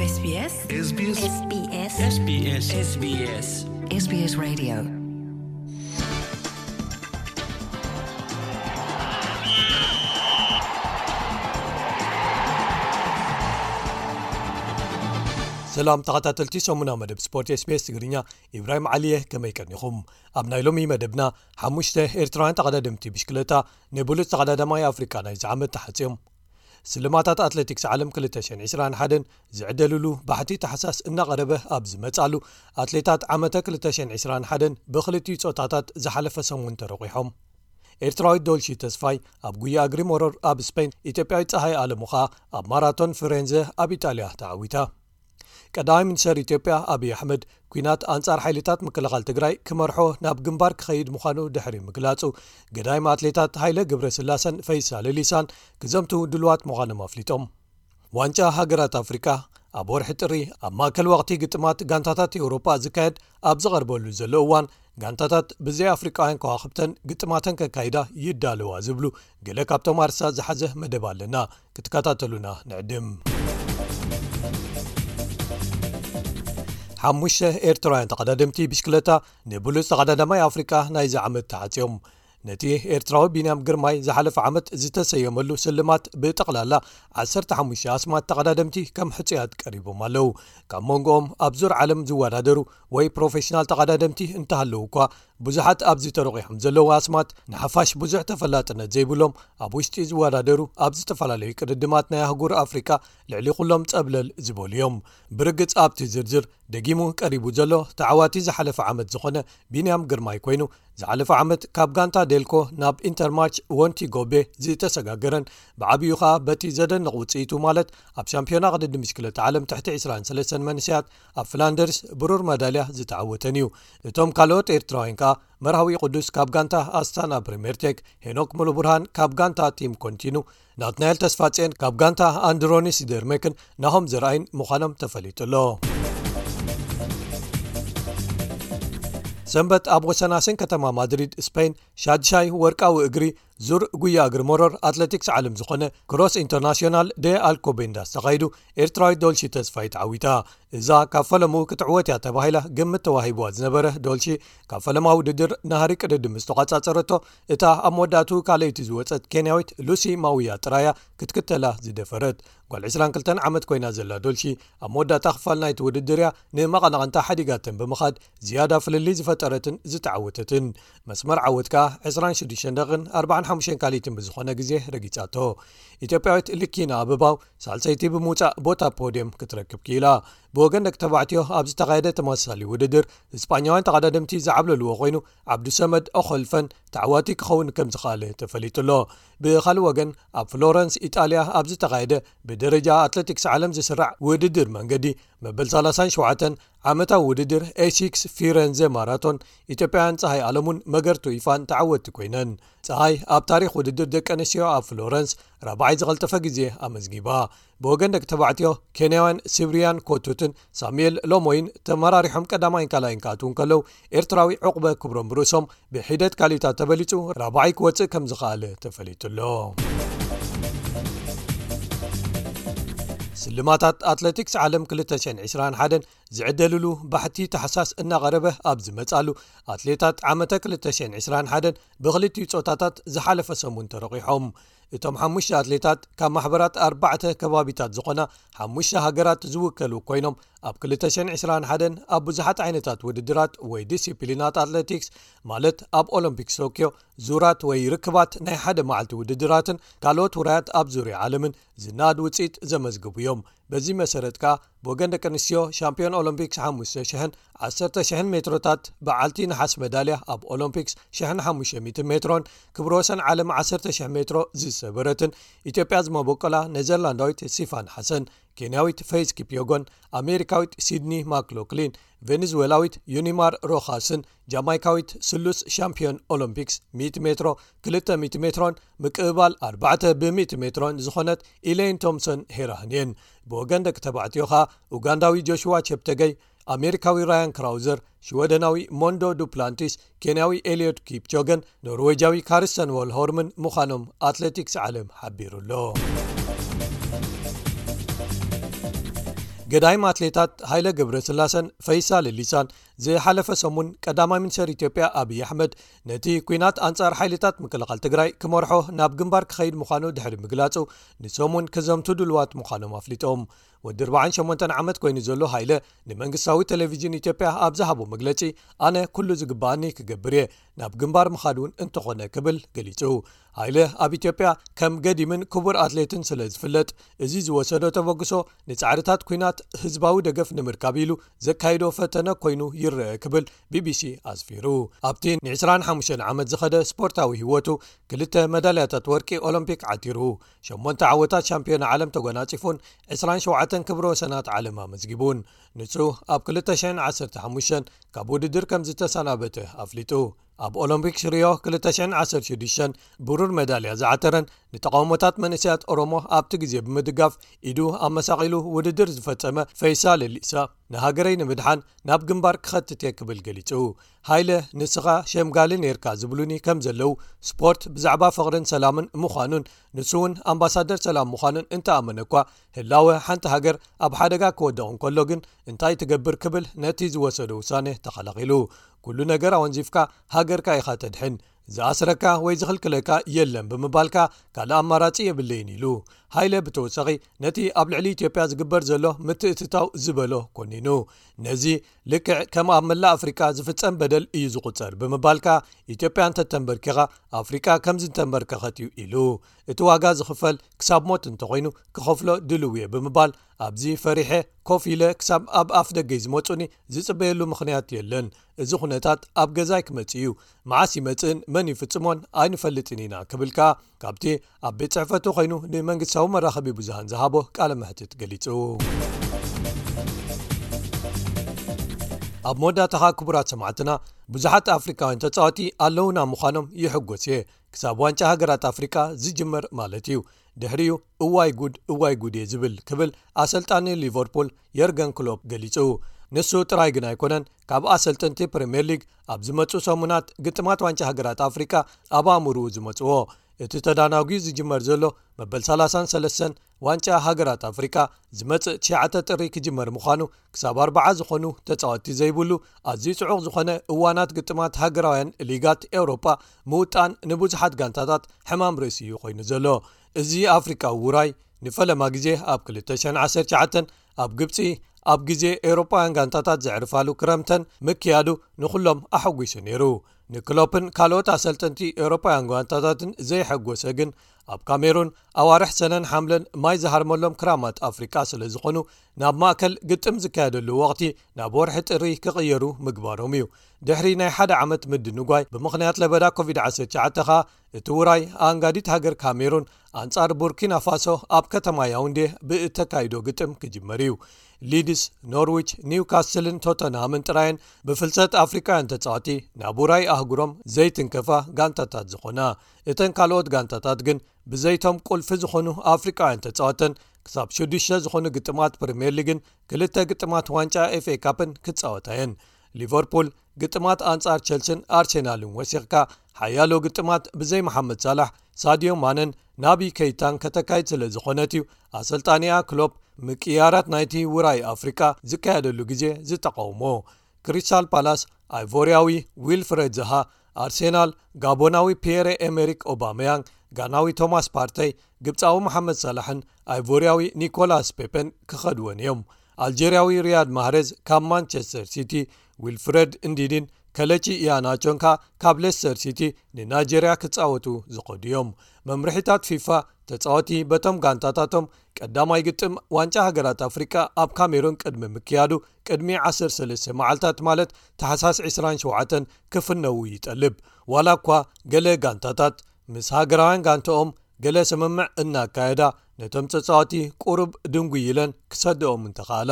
SBS SBS SBS SBS SBS Radio. ሰላም ተኸታተልቲ ሰሙና መደብ ስፖርት SBS ትግርኛ፣ ኢብራሂም ዓሊየ፣ ከመይ ቀኒኹም? ኣብ ናይ ሎሚ መደብና፣ ሓሙሽተ ኤርትራውያን ተቐዳደምቲ ብሽክለታ ንብሉጽ ተቐዳዳማይ ኣፍሪቃ ናይዚ ዓመት ተሓጽዮም። ስልማታት ኣትሌቲክስ ዓለም ክልተ ሽሕን ዕስራን ሓደን ዝዕደልሉ ባሕቲ ታሕሳስ እናቐረበ ኣብ ዝመጻሉ፣ ኣትሌታት ዓመተ ክልተ ሽሕን ዕስራን ሓደን ብኽልቲኡ ጾታታት ዝሓለፈ ሰሙን ተረቂሖም። ኤርትራዊት ዶልሺ ተስፋይ ኣብ ጉያ እግሪ መሮር ኣብ ስፔን፣ ኢትዮጵያዊት ጸሃይ ኣለሙ ኸኣ ኣብ ማራቶን ፍሬንዘ ኣብ ኢጣልያ ተዓዊታ። ቀዳማይ ሚኒስተር ኢትዮጵያ ኣብይ ኣሕመድ፣ ኲናት ኣንጻር ሓይልታት ምክልኻል ትግራይ ክመርሖ ናብ ግንባር ክኸይድ ምዃኑ ድሕሪ ምግላጹ፣ ገዳይም ኣትሌታት ሃይለ ገብረስላሰን ፈይሳ ሌሊሳን ክዘምቱ ድሉዋት ምዃኖም ኣፍሊጦም። ዋንጫ ሃገራት ኣፍሪቃ ኣብ ወርሒ ጥሪ ኣብ ማእከል ወቕቲ ግጥማት ጋንታታት ኤውሮጳ ዝካየድ ኣብ ዝቐርበሉ ዘሎ እዋን፣ ጋንታታት ብዘይ ኣፍሪቃውያን ከዋኽብተን ግጥማተን ከካይዳ ይዳለዋ ዝብሉ ገለ ካብቶም ኣርሳ ዝሓዘ መደብ ኣለና። ክትከታተሉና ንዕድም። ሓሙሽተ ኤርትራውያን ተቐዳደምቲ ብሽክለታ ንብሉጽ ተቐዳዳማይ ኣፍሪቃ ናይዚ ዓመት ተሓጽዮም። ነቲ ኤርትራዊ ቢንያም ግርማይ ዝሓለፈ ዓመት ዝተሰየመሉ ስልማት ብጠቕላላ ዓሰርተ ሓሙሽተ ኣስማት ተቐዳደምቲ ከም ሕጹያት ቀሪቦም ኣለዉ። ካብ መንጎኦም ኣብ ዙር ዓለም ዝወዳደሩ ወይ ፕሮፌሽናል ተቐዳደምቲ እንተሃለዉ እኳ፣ ብዙሓት ኣብዚ ተረቂሖም ዘለዉ ኣስማት ንሓፋሽ ብዙሕ ተፈላጥነት ዘይብሎም፣ ኣብ ውሽጢ ዝወዳደሩ፣ ኣብ ዝተፈላለዩ ቅድድማት ናይ ኣህጉር ኣፍሪቃ ልዕሊ ኩሎም ጸብለል ዝበሉ እዮም። ብርግጽ ኣብቲ ዝርዝር ደጊሙ ቀሪቡ ዘሎ ተዓዋቲ ዝሓለፈ ዓመት ዝኾነ ቢንያም ግርማይ ኮይኑ፣ ዝሓለፈ ዓመት ካብ ጋንታ ዴልኮ ናብ ኢንተርማርች ወንቲ ጎቤ ዝተሰጋገረን ብዓብዩ ኸኣ በቲ ዘደንቕ ውጽኢቱ፣ ማለት ኣብ ሻምፒዮና ቅድድም ብሽክለታ ዓለም ትሕቲ ዕስራን ሰለስተን መንእሰያት ኣብ ፍላንደርስ ብሩር መዳልያ ዝተዓወተን እዩ። እቶም ካልኦት ኤርትራውያን ከኣ መርሃዊ ቅዱስ ካብ ጋንታ ኣስታና ፕሪሜርቴክ፣ ሄኖክ ሙሉብርሃን ካብ ጋንታ ቲም ኮንቲኑ፣ ናትናኤል ተስፋጽዮን ካብ ጋንታ ኣንድሮኒስ ደርሜክን ናሆም ዘርኣይን ምዃኖም ተፈሊጡ ኣሎ። ሰንበት ኣብ ወሰናስን ከተማ ማድሪድ ስፔን፣ ሻድሻይ ወርቃዊ እግሪ ዙር ጉያ እግሪ መሮር ኣትሌቲክስ ዓለም ዝኾነ ክሮስ ኢንተርናሽናል ደ ኣልኮቤንዳስ ተኻይዱ፣ ኤርትራዊት ዶልሺ ተስፋይ ተዓዊታ። እዛ ካብ ፈለምኡ ክትዕወት እያ ተባሂላ ግምት ተዋሂብዋ ዝነበረ ዶልሺ፣ ካብ ፈለማ ውድድር ናህሪ ቅድድም ዝተቋጻጸረቶ እታ ኣብ መወዳእቱ ካልኣይቲ ዝወጸት ኬንያዊት ሉሲ ማውያ ጥራያ ክትክተላ ዝደፈረት። ጓል ዕስራን ክልተን ዓመት ኮይና ዘላ ዶልሺ፣ ኣብ መወዳእታ ክፋል ናይቲ ውድድር እያ ንመቐናቕንታ ሓዲጋተን ብምኻድ ዝያዳ ፍልልይ ዝፈጠረትን ዝተዓወተትን። መስመር ዓወት ከኣ ዕስራን ሽዱሽተን ደቂቕን ኣርባዓን ሓሙሽተን ካልኢትን ብዝኾነ ግዜ ረጊጻቶ። ኢትዮጵያዊት ልኪና ኣበባው ሳልሰይቲ ብምውጻእ ቦታ ፖድየም ክትረክብ ክኢላ። ብወገን ደቂ ተባዕትዮ ኣብ ዝተኻየደ ተመሳሳሊ ውድድር፣ እስጳኛውያን ተቐዳደምቲ ዝዓብለልዎ ኮይኑ፣ ዓብዱሰመድ ኦኾልፈን ተዓዋቲ ክኸውን ከም ዝኸኣለ ተፈሊጡ ኣሎ። ብኻልእ ወገን፣ ኣብ ፍሎረንስ ኢጣልያ ኣብ ዝተኻየደ ብደረጃ ኣትሌቲክስ ዓለም ዝስራዕ ውድድር መንገዲ መበል ሰላሳን ሸውዓተን ዓመታዊ ውድድር ኤሲክስ ፊረንዘ ማራቶን፣ ኢትዮጵያውያን ጸሃይ ኣለሙን መገርቱ ይፋን ተዓወትቲ ኮይነን። ጸሃይ ኣብ ታሪኽ ውድድር ደቂ ኣንስትዮ ኣብ ፍሎረንስ ራብዓይ ዝቐልጠፈ ግዜ ኣመዝጊባ። ብወገን ደቂ ተባዕትዮ፣ ኬንያውያን ሲብሪያን ኮቱትን ሳሙኤል ሎሞይን ተመራሪሖም ቀዳማይን ካልኣይን ክኣትዉ እንከለዉ፣ ኤርትራዊ ዑቕበ ክብሮም ርእሶም ብሒደት ካልኢታት ተበሊጹ ራብዓይ ክወጽእ ከም ዝኸኣለ ተፈሊጡ ኣሎ። ስልማታት ኣትሌቲክስ ዓለም ክልተ ሽሕን ዕስራን ሓደን ዝዕደልሉ ባሕቲ ታሕሳስ እናቐረበ ኣብ ዝመጻሉ፣ ኣትሌታት ዓመተ ክልተ ሽሕን ዕስራን ሓደን ብኽልቲኡ ጾታታት ዝሓለፈ ሰሙን ተረቂሖም። እቶም ሓሙሽተ ኣትሌታት ካብ ማሕበራት ኣርባዕተ ከባቢታት ዝኾና ሓሙሽተ ሃገራት ዝውከሉ ኮይኖም፣ ኣብ ክልተ ሽሕን ዕስራን ሓደን ኣብ ብዙሓት ዓይነታት ውድድራት ወይ ዲሲፕሊናት ኣትሌቲክስ፣ ማለት ኣብ ኦሎምፒክስ ቶክዮ፣ ዙራት ወይ ርክባት ናይ ሓደ መዓልቲ ውድድራትን ካልኦት ውራያት ኣብ ዙርያ ዓለምን ዝነኣድ ውጽኢት ዘመዝግቡ እዮም። በዚ መሰረት ከኣ፣ ብወገን ደቂ ኣንስትዮ፣ ሻምፒዮን ኦሎምፒክስ ሓሙሽተ ሽሕን ዓሰርተ ሽሕን ሜትሮታት በዓልቲ ነሓስ መዳልያ ኣብ ኦሎምፒክስ ሽሕን ሓሙሽተ ሚእትን ሜትሮን፣ ክብረ ወሰን ዓለም ዓሰርተ ሽሕ ሜትሮ ዝሰበረትን፣ ኢትዮጵያ ዝመበቆላ ኔዘርላንዳዊት ሲፋን ሓሰን፣ ኬንያዊት ፌዝ ኪፕዮጎን፣ ኣሜሪካዊት ሲድኒ ማክሎክሊን፣ ቬኔዙዌላዊት ዩኒማር ሮኻስን፣ ጃማይካዊት ስሉስ ሻምፒዮን ኦሎምፒክስ ሚእቲ ሜትሮ፣ ክልተ ሚእቲ ሜትሮን ምቅብባል ኣርባዕተ ብሚእቲ ሜትሮን ዝኾነት ኢሌይን ቶምሰን ሄራህን እየን። ብወገን ደቂ ተባዕትዮ ኸኣ፣ ኡጋንዳዊ ጆሽዋ ቸፕተገይ፣ ኣሜሪካዊ ራያን ክራውዘር፣ ሽወደናዊ ሞንዶ ዱፕላንቲስ፣ ኬንያዊ ኤልዮድ ኪፕቾገን ኖርዌጃዊ ካርስተን ዎልሆርምን ምዃኖም ኣትሌቲክስ ዓለም ሓቢሩ ኣሎ። ገዳይም ኣትሌታት ሃይለ ገብረስላሰን ፈይሳ ሌሊሳን ዝሓለፈ ሰሙን ቀዳማይ ሚኒስትር ኢትዮጵያ ኣብይ ኣሕመድ ነቲ ኲናት ኣንጻር ሓይልታት ምክልኻል ትግራይ ክመርሖ ናብ ግንባር ክኸይድ ምዃኑ ድሕሪ ምግላጹ፣ ንሰሙን ክዘምቱ ድልዋት ምዃኖም ኣፍሊጦም። ወዲ ኣርባዓን ሸሞንተን ዓመት ኮይኑ ዘሎ ሃይለ ንመንግስታዊ ቴሌቪዥን ኢትዮጵያ ኣብ ዝሃቦ መግለጺ፣ ኣነ ኩሉ ዝግባኣኒ ክገብር እየ፣ ናብ ግንባር ምኻድ እውን እንተኾነ ክብል ገሊጹ። ሃይለ ኣብ ኢትዮጵያ ከም ገዲምን ክቡር ኣትሌትን ስለ ዝፍለጥ፣ እዚ ዝወሰዶ ተበግሶ ንጻዕርታት ኲናት ህዝባዊ ደገፍ ንምርካብ ኢሉ ዘካይዶ ፈተነ ኮይኑ ይረአ ክብል ቢቢሲ ኣስፊሩ። ኣብቲ ን ዕስራን ሓሙሽተን ዓመት ዝኸደ ስፖርታዊ ህይወቱ ክልተ መዳልያታት ወርቂ ኦሎምፒክ ዓቲሩ፣ ሸሞንተ ዓወታት ሻምፒዮና ዓለም ተጎናጺፉን ዕስራን ሸውዓተን ክብረ ወሰናት ዓለም ኣመዝጊቡን። ንሱ ኣብ ክልተ ሽሕን ዓሰርተ ሓሙሽተን ካብ ውድድር ከም ዝተሰናበተ ኣፍሊጡ። ኣብ ኦሎምፒክስ ሪዮ ክልተ ሽሕን ዓሰርተ ሽዱሽተን ብሩር መዳልያ ዝዓተረን ንተቃውሞታት መንእሰያት ኦሮሞ ኣብቲ ግዜ ብምድጋፍ ኢዱ ኣመሳቒሉ ውድድር ዝፈጸመ ፈይሳ ሌሊሳ፣ ንሃገረይ ንምድሓን ናብ ግንባር ክኸትት እየ ክብል ገሊጹ። ሃይለ፣ ንስኻ ሸምጋሊ ኔርካ ዝብሉኒ ከም ዘለዉ፣ ስፖርት ብዛዕባ ፍቕርን ሰላምን ምዃኑን ንሱ እውን ኣምባሳደር ሰላም ምዃኑን እንተኣመነ እኳ፣ ህላወ ሓንቲ ሃገር ኣብ ሓደጋ ክወድቕ እንከሎ ግን እንታይ ትገብር ክብል ነቲ ዝወሰዶ ውሳነ ተኸላኺሉ። ኩሉ ነገር ኣወንዚፍካ ሃገርካ ኢኻ ተድሕን፣ ዝኣስረካ ወይ ዝኽልክለካ የለን ብምባልካ ካልእ ኣማራጺ የብለይን ኢሉ። ሃይለ ብተወሳኺ ነቲ ኣብ ልዕሊ ኢትዮጵያ ዝግበር ዘሎ ምትእትታው ዝበሎ ኮኒኑ፣ ነዚ ልክዕ ከም ኣብ መላእ ኣፍሪቃ ዝፍጸም በደል እዩ ዝቑጸር ብምባልካ፣ ኢትዮጵያ እንተተንበርኪኻ ኣፍሪቃ ከም ዝተንበርከኸት እዩ ኢሉ። እቲ ዋጋ ዝኽፈል ክሳብ ሞት እንተኾይኑ ክኸፍሎ ድልው እየ ብምባል፣ ኣብዚ ፈሪሐ ኮፍ ኢለ ክሳብ ኣብ ኣፍ ደገይ ዝመጹኒ ዝጽበየሉ ምኽንያት የለን። እዚ ኩነታት ኣብ ገዛይ ክመጽእ እዩ። መዓስ ይመጽእን መን ይፍጽሞን ኣይንፈልጥን ኢና ክብል ከኣ ካብቲ ኣብ ቤት ጽሕፈቱ ኮይኑ ንመንግስታዊ መራኸቢ ብዙሃን ዝሃቦ ቃለ መሕትት ገሊጹ። ኣብ መወዳእታኻ ክቡራት ሰማዕትና፣ ብዙሓት ኣፍሪካውያን ተጻወቲ ኣለውና ምዃኖም ይሕጎስ እየ። ክሳብ ዋንጫ ሃገራት ኣፍሪካ ዝጅመር ማለት እዩ። ድሕሪኡ እዋይ ጉድ፣ እዋይ ጉድ እየ ዝብል ክብል ኣሰልጣኒ ሊቨርፑል የርገን ክሎፕ ገሊጹ። ንሱ ጥራይ ግን ኣይኮነን፣ ካብ ኣሰልጠንቲ ፕሪምየር ሊግ ኣብ ዝመጹ ሰሙናት ግጥማት ዋንጫ ሃገራት ኣፍሪካ ኣብ ኣእምርኡ ዝመጽዎ። እቲ ተዳናጒ ዝጅመር ዘሎ መበል ሰላሳን ሰለስተን ዋንጫ ሃገራት ኣፍሪካ ዝመጽእ ትሽዓተ ጥሪ ክጅመር ምዃኑ፣ ክሳብ ኣርባዓ ዝኾኑ ተጻወትቲ ዘይብሉ ኣዝዩ ጽዑቕ ዝኾነ እዋናት ግጥማት ሃገራውያን ሊጋት ኤውሮጳ ምውጣን ንብዙሓት ጋንታታት ሕማም ርእሲ እዩ ኮይኑ ዘሎ። እዚ ኣፍሪቃዊ ውራይ ንፈለማ ግዜ ኣብ ክልተ ሽሕን ዓሰርተ ትሽዓተን ኣብ ግብጺ ኣብ ግዜ ኤውሮጳውያን ጋንታታት ዘዕርፋሉ ክረምተን ምክያዱ ንኹሎም ኣሐጒሱ ነይሩ። ንክሎፕን ካልኦት ኣሰልጠንቲ ኤውሮጳውያን ጋንታታትን ዘየሐጎሰ ግን፣ ኣብ ካሜሩን ኣዋርሕ ሰነን ሓምለን ማይ ዝሃርመሎም ክራማት ኣፍሪቃ ስለ ዝኾኑ፣ ናብ ማእከል ግጥም ዝካየደሉ ወቕቲ ናብ ወርሒ ጥሪ ክቕየሩ ምግባሮም እዩ። ድሕሪ ናይ ሓደ ዓመት ምድንጓይ ብምኽንያት ለበዳ ኮቪድ ዓሰርተ ትሽዓተ ኸኣ፣ እቲ ውራይ ኣኣንጋዲት ሃገር ካሜሩን ኣንጻር ቡርኪና ፋሶ ኣብ ከተማ ያውንዴ ብእተካይዶ ግጥም ክጅመር እዩ። ሊድስ፣ ኖርዊች፣ ኒውካስልን ቶተንሃምን ጥራየን ብፍልሰት ኣፍሪቃውያን ተጻወቲ ናብ ውራይ ኣህጉሮም ዘይትንከፋ ጋንታታት ዝኾና። እተን ካልኦት ጋንታታት ግን ብዘይቶም ቁልፊ ዝኾኑ ኣፍሪቃውያን ተጻወተን ክሳብ ሽዱሽተ ዝኾኑ ግጥማት ፕሪምየር ሊግን ክልተ ግጥማት ዋንጫ ኤፍኤ ካፕን ክጻወታ እየን። ሊቨርፑል ግጥማት ኣንጻር ቸልስን ኣርሴናልን ወሲኽካ፣ ሓያሎ ግጥማት ብዘይ መሓመድ ሳላሕ፣ ሳድዮ ማነን ናቢ ከይታን ከተካይድ ስለ ዝኾነት እዩ ኣሰልጣኒኣ ክሎፕ ምቅያራት ናይቲ ውራይ ኣፍሪቃ ዝካየደሉ ግዜ ዝተቃውሞ። ክሪስታል ፓላስ ኣይቮርያዊ ዊልፍሬድ ዛሃ፣ ኣርሴናል ጋቦናዊ ፒየረ ኤሜሪክ ኦባመያንግ፣ ጋናዊ ቶማስ ፓርተይ፣ ግብጻዊ መሓመድ ሳላሕን ኣይቮርያዊ ኒኮላስ ፔፔን ክኸድወን እዮም። ኣልጀርያዊ ሪያድ ማህሬዝ ካብ ማንቸስተር ሲቲ፣ ዊልፍሬድ እንዲዲን ከለቺ ኢያናቾን ከኣ ካብ ሌስተር ሲቲ ንናይጀርያ ክጻወቱ ዝኸዱ እዮም። መምርሒታት ፊፋ፣ ተጻወቲ በቶም ጋንታታቶም ቀዳማይ ግጥም ዋንጫ ሃገራት ኣፍሪቃ ኣብ ካሜሩን ቅድሚ ምክያዱ ቅድሚ ዓሰርተ ሰለስተ መዓልታት፣ ማለት ታሕሳስ ዕስራን ሸውዓተን ክፍነዉ ይጠልብ። ዋላ እኳ ገለ ጋንታታት ምስ ሃገራውያን ጋንታኦም ገለ ስምምዕ እናካየዳ፣ ነቶም ተጻወቲ ቁሩብ ድንጉይ ኢለን ክሰድኦም እንተኻእላ።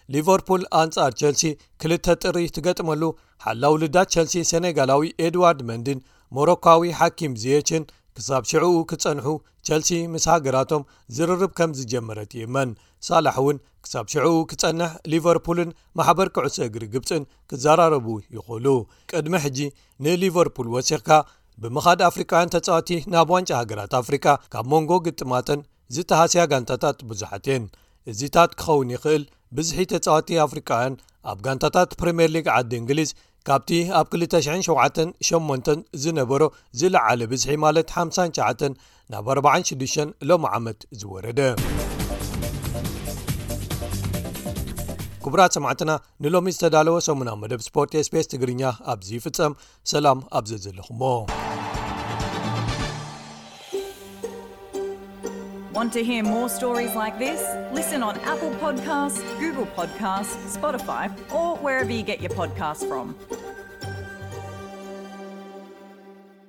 ሊቨርፑል ኣንጻር ቸልሲ ክልተ ጥሪ ትገጥመሉ፣ ሓላው ልዳት ቸልሲ ሰኔጋላዊ ኤድዋርድ መንድን ሞሮኳዊ ሓኪም ዚየችን ክሳብ ሽዕኡ ክጸንሑ፣ ቸልሲ ምስ ሃገራቶም ዝርርብ ከም ዝጀመረት ይእመን። ሳላሕ እውን ክሳብ ሽዕኡ ክጸንሕ ሊቨርፑልን ማሕበር ኩዕሶ እግሪ ግብጽን ክዘራረቡ ይኽእሉ። ቅድሚ ሕጂ ንሊቨርፑል ወሲኽካ ብምኻድ ኣፍሪቃውያን ተጻወቲ ናብ ዋንጫ ሃገራት ኣፍሪቃ ካብ መንጎ ግጥማተን ዝተሃስያ ጋንታታት ብዙሓት እየን። እዚታት ክኸውን ይኽእል ብዝሒ ተጻወቲ ኣፍሪቃውያን ኣብ ጋንታታት ፕሪምየር ሊግ ዓዲ እንግሊዝ ካብቲ ኣብ ክልተ ሽሕን ሸውዓተን ሸሞንተን ዝነበሮ ዝለዓለ ብዝሒ ማለት ሓምሳን ትሽዓተን ናብ ኣርባዓን ሽዱሽተን ሎሚ ዓመት ዝወረደ። ክቡራት ሰማዕትና፣ ንሎሚ ዝተዳለወ ሰሙናዊ መደብ ስፖርት ኤስቢኤስ ትግርኛ ኣብዚ ይፍጸም። ሰላም ኣብ ዘዘለኹሞ። Want to hear more stories like this? Listen on Apple Podcasts, Google Podcasts, Spotify, or wherever you get your podcasts from.